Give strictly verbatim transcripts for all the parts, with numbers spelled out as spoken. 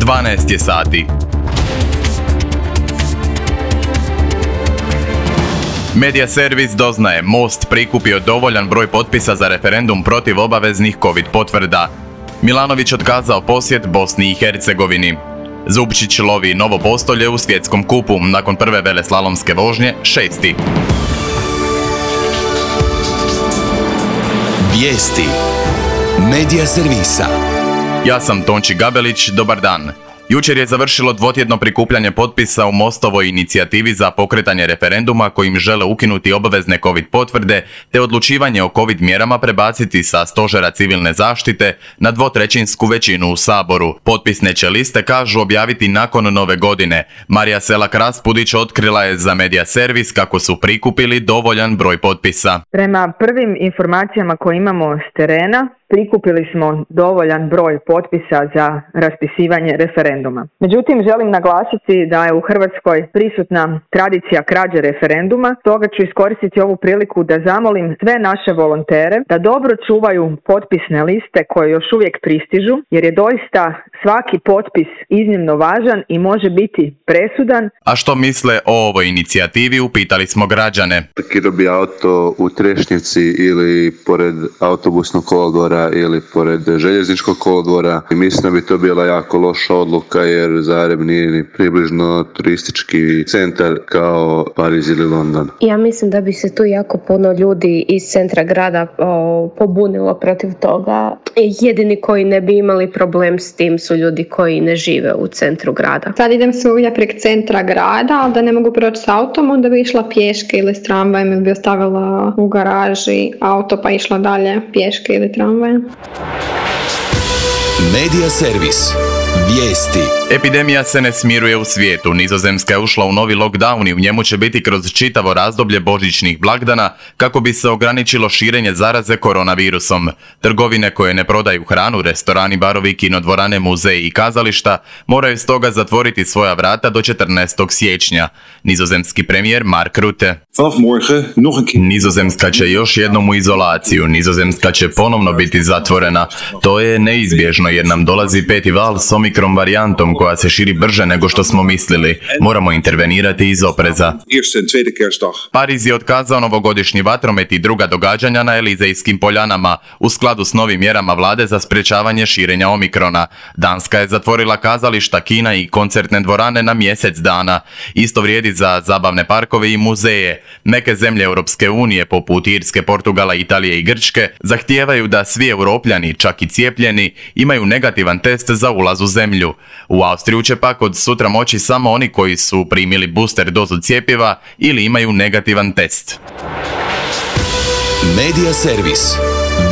dvanaest je sati. Medija servis doznaje, Most prikupio dovoljan broj potpisa za referendum protiv obaveznih covid potvrda. Milanović otkazao posjet Bosni i Hercegovini. Zupčić lovi novo postolje u svjetskom kupu, nakon prve veleslalomske vožnje, šesti. Vijesti medija servisa. Ja sam Tonči Gabelić, dobar dan. Jučer je završilo dvotjedno prikupljanje potpisa u Mostovoj inicijativi za pokretanje referenduma kojim žele ukinuti obavezne covid potvrde te odlučivanje o covid mjerama prebaciti sa stožera civilne zaštite na dvotrećinsku većinu u Saboru. Potpisne će liste, kažu, objaviti nakon nove godine. Marija Selak-Raspudić otkrila je za Medija servis kako su prikupili dovoljan broj potpisa. Prema prvim informacijama koje imamo s terena, prikupili smo dovoljan broj potpisa za raspisivanje referenduma. Međutim, želim naglasiti da je u Hrvatskoj prisutna tradicija krađe referenduma, stoga ću iskoristiti ovu priliku da zamolim sve naše volontere da dobro čuvaju potpisne liste koje još uvijek pristižu, jer je doista svaki potpis iznimno važan i može biti presudan. A što misle o ovoj inicijativi, upitali smo građane. Parkirao bi auto u Trešnjici ili pored autobusnog kolodvora ili pored željezničkog kolodvora. I mislim da bi to bila jako loša odluka jer Zagreb nije ni približno turistički centar kao Pariz ili London. Ja mislim da bi se tu jako puno ljudi iz centra grada o, pobunilo protiv toga. Jedini koji ne bi imali problem s tim su ljudi koji ne žive u centru grada. Sad idem svuda prek centra grada, ali da ne mogu proći s autom, onda bi išla pješke ili s tramvajem ili bi ostavila u garaži auto pa išla dalje pješke ili tramvajem. Medija servis. Vijesti. Epidemija se ne smiruje u svijetu. Nizozemska je ušla u novi lockdown i u njemu će biti kroz čitavo razdoblje božićnih blagdana kako bi se ograničilo širenje zaraze koronavirusom. Trgovine koje ne prodaju hranu, restorani, barovi, kinodvorane, muzeji i kazališta moraju stoga zatvoriti svoja vrata do četrnaestog siječnja. Nizozemski premijer Mark Rutte. Nizozemska će još jednom u izolaciju. Nizozemska će ponovno biti zatvorena. To je neizbježno jer nam dolazi peti val s omikron varijantom koja se širi brže nego što smo mislili. Moramo intervenirati iz opreza. Pariz je otkazao novogodišnji vatromet i druga događanja na Elizejskim poljanama u skladu s novim mjerama vlade za sprječavanje širenja omikrona. Danska je zatvorila kazališta, kina i koncertne dvorane na mjesec dana. Isto vrijedi za zabavne parkove i muzeje. Neke zemlje Europske unije, poput Irske, Portugala, Italije i Grčke, zahtijevaju da svi Europljani, čak i cijepljeni, imaju negativan test za ulaz u zemlju. U Austriju će pak od sutra moći samo oni koji su primili booster dozu cjepiva ili imaju negativan test. Medija servis.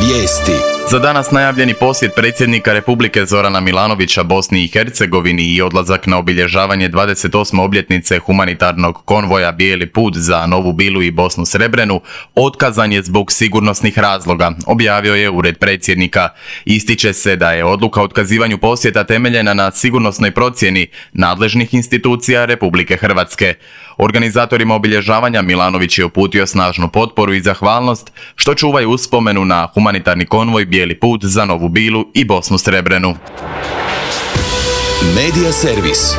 Vijesti. Za danas najavljeni posjet predsjednika Republike Zorana Milanovića Bosni i Hercegovini i odlazak na obilježavanje dvadeset osme obljetnice humanitarnog konvoja Bijeli put za Novu Bilu i Bosnu Srebrenu otkazan je zbog sigurnosnih razloga, objavio je ured predsjednika. Ističe se da je odluka o otkazivanju posjeta temeljena na sigurnosnoj procjeni nadležnih institucija Republike Hrvatske. Organizatorima obilježavanja Milanović je uputio snažnu potporu i zahvalnost što čuvaju uspomenu na humanitarni konvoj Bijeli put za Novu Bilu i Bosnu Srebrenu. Medija servis.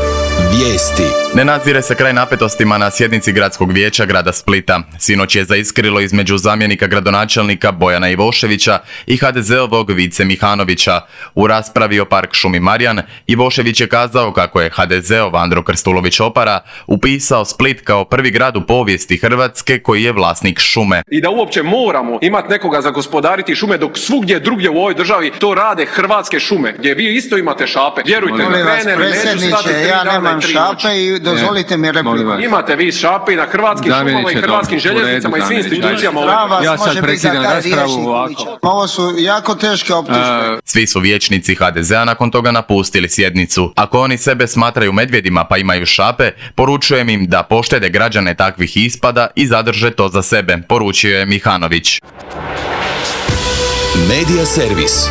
Vijesti. Ne nazire se kraj napetostima na sjednici gradskog vijeća grada Splita. Sinoć je zaiskrilo između zamjenika gradonačelnika Bojana Ivoševića i ha de zeovog Vice Mihanovića. U raspravi o park šumi Marjan, Ivošević je kazao kako je ha de zeov Andro Krstulović-Opara upisao Split kao prvi grad u povijesti Hrvatske koji je vlasnik šume. I da uopće moramo imati nekoga za gospodariti šume dok svugdje drugdje u ovoj državi to rade Hrvatske šume, gdje vi isto imate šape. Vjerujte, krene li neću stati tri dana i tri šape i dozvolite mi repliku. Imate vi šape i na hrvatskim šumama i hrvatskim željeznicama i svim institucijama. Ja sad prekidam raspravu ovako. Ovo su jako teške optužbe. Svi su vijećnici ha de zea nakon toga napustili sjednicu. Ako oni sebe smatraju medvjedima pa imaju šape, poručujem im da poštede građane takvih ispada i zadrže to za sebe, poručio je Mihanović. Medija servis.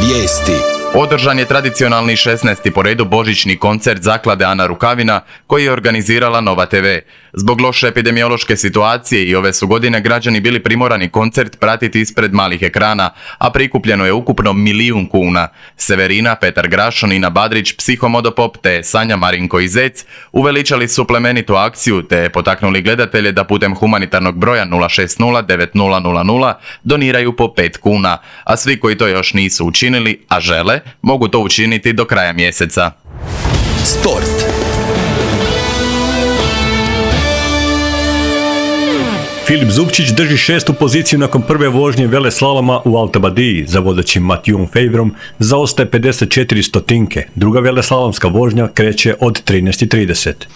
Vijesti. Održan je tradicionalni šesnaesti po redu božićni koncert zaklade Ana Rukavina koji je organizirala Nova te ve. Zbog loše epidemiološke situacije i ove su godine građani bili primorani koncert pratiti ispred malih ekrana, a prikupljeno je ukupno milijun kuna. Severina, Petar Grašo, Nina Badrić, Psihomodopop te Sanja Marinko i Zec uveličali su plemenitu akciju te potaknuli gledatelje da putem humanitarnog broja nula šest nula devet nula nula nula doniraju po pet kuna, a svi koji to još nisu učinili, a žele, mogu to učiniti do kraja mjeseca. Sport. Filip Zubčić drži šestu poziciju nakon prve vožnje veleslaloma u Altabadiji za vodećim Matijom Fejvrom, zaostaje pedeset četiri stotinke. Druga veleslalomska vožnja kreće od trinaest i trideset.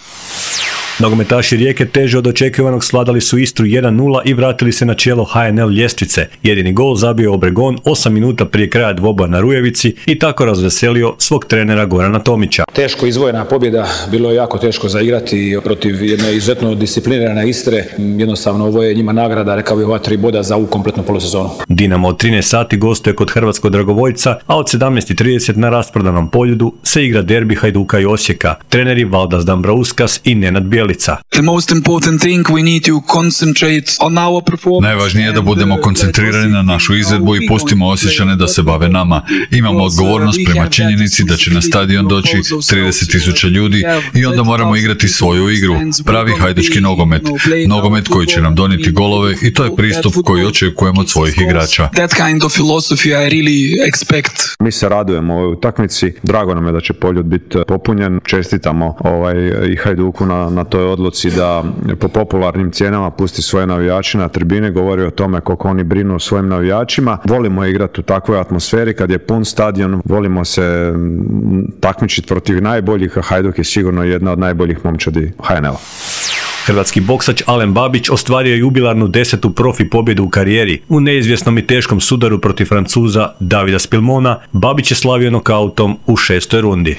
Nogometaši Rijeke teže od očekivanog sladali su Istru jedan nula i vratili se na čelo ha en el ljestvice. Jedini gol zabio Obregon osam minuta prije kraja dvoboja na Rujevici i tako razveselio svog trenera Gorana Tomića. Teško izvojena pobjeda, bilo je jako teško zaigrati protiv jedne izuzetno disciplinirane Istre. Jednostavno ovo je njima nagrada, rekao bih, ova tri boda za ovu kompletnu polusezonu. Dinamo od trinaest sati gostuje kod Hrvatskog Dragovoljca, a od sedamnaest i trideset na rasprodanom Poljudu se igra derbi Hajduka i Osijeka. Treneri Valdas Dambrauskas i Nenad Bijelica. Najvažnije je da budemo koncentrirani na našu izvedbu i pustimo Osječane da se bave nama. Imamo odgovornost prema činjenici da će na stadion doći trideset tisuća ljudi i onda moramo igrati svoju igru. Pravi hajdučki nogomet. Nogomet koji će nam donijeti golove i to je pristup koji očekujemo od svojih igrača. Mi se radujemo ovoj utakmici. Drago nam je da će Poljud biti popunjen. Čestitamo ovaj, i Hajduku na, na toj odluci da po popularnim cijenama pusti svoje navijače na tribine, govori o tome koliko oni brinu o svojim navijačima. Volimo igrati u takvoj atmosferi kad je pun stadion, volimo se takmičiti protiv najboljih, a Hajduk je sigurno jedna od najboljih momčadi ha en el-a. Hrvatski boksač Alen Babić ostvario je jubilarnu desetu profi pobjedu u karijeri. U neizvjesnom i teškom sudaru protiv Francuza Davida Spilmona Babić je slavio nokautom u šestoj rundi.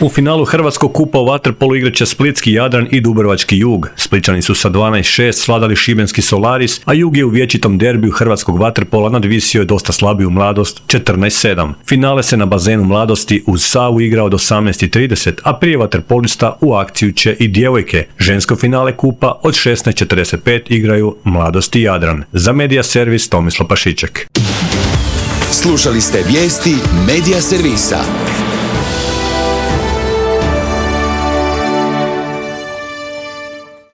U finalu Hrvatskog kupa u vaterpolu igraće Splitski Jadran i Dubrovački Jug. Spličani su sa dvanaest šest svladali šibenski Solaris, a Jug je u vječitom derbiju Hrvatskog vaterpola nadvisio dosta slabiju Mladost četrnaest sedam. Finale se na bazenu Mladosti uz Savu igra od osamnaest i trideset, a prije vaterpolista u akciju će i djevojke. Žensko finale kupa od šesnaest četrdeset pet igraju Mladost i Jadran. Za Medija Servis Tomislav Pašiček. Slušali ste vijesti Medija Servisa.